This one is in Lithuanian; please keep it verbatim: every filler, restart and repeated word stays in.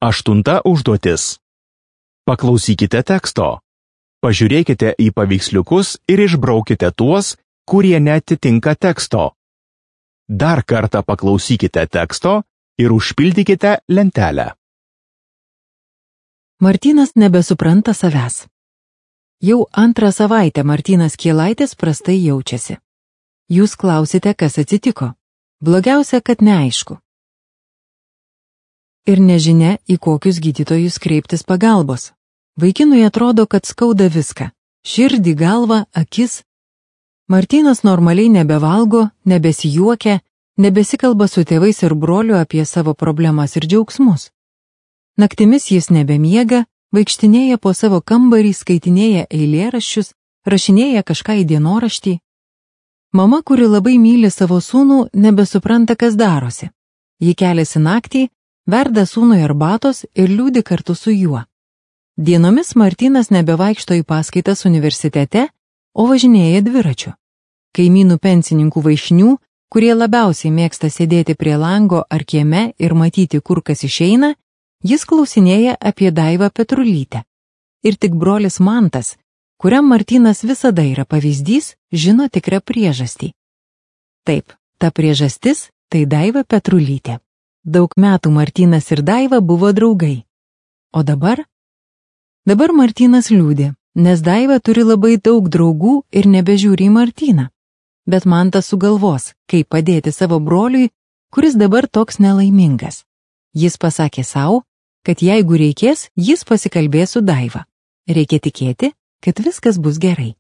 Aštunta užduotis. Paklausykite teksto. Pažiūrėkite į paveiksliukus ir išbraukite tuos, kurie neatitinka teksto. Dar kartą paklausykite teksto ir užpildykite lentelę. Martynas nebesupranta savęs. Jau antrą savaitę Martynas Kielaitis prastai jaučiasi. Jūs klausite, kas atsitiko. Blogiausia, kad neaišku. Ir nežinia, į kokius gydytojus kreiptis pagalbos. Vaikinui atrodo, kad skauda viską. Širdį, galvą, akis. Martynas normaliai nebevalgo, nebesijuokia, nebesikalba su tėvais ir broliu apie savo problemas ir džiaugsmus. Naktimis jis nebemiega, vaikštinėja po savo kambarį, skaitinėja eilėraščius, rašinėja kažką į dienoraštį. Mama, kuri labai myli savo sūnų, nebesupranta, kas darosi. Ji keliasi naktį, verda sūnui arbatos ir liūdi kartu su juo. Dienomis Martynas nebevaikšto į paskaitas universitete, o važinėja dviračiu. Kaimynų pensininkų vaišnių, kurie labiausiai mėgsta sėdėti prie lango ar kieme ir matyti, kur kas išeina, jis klausinėja apie Daivą Petrulytę. Ir tik brolis Mantas, kuriam Martynas visada yra pavyzdys, žino tikrą priežastį. Taip, ta priežastis tai Daiva Petrulytė. Daug metų Martynas ir Daiva buvo draugai. O dabar? Dabar Martynas liūdi, nes Daiva turi labai daug draugų ir nebežiūri į Martyną. Bet Mantas sugalvos, kaip padėti savo broliui, kuris dabar toks nelaimingas. Jis pasakė sau, kad jeigu reikės, jis pasikalbės su Daiva. Reikia tikėti, kad viskas bus gerai.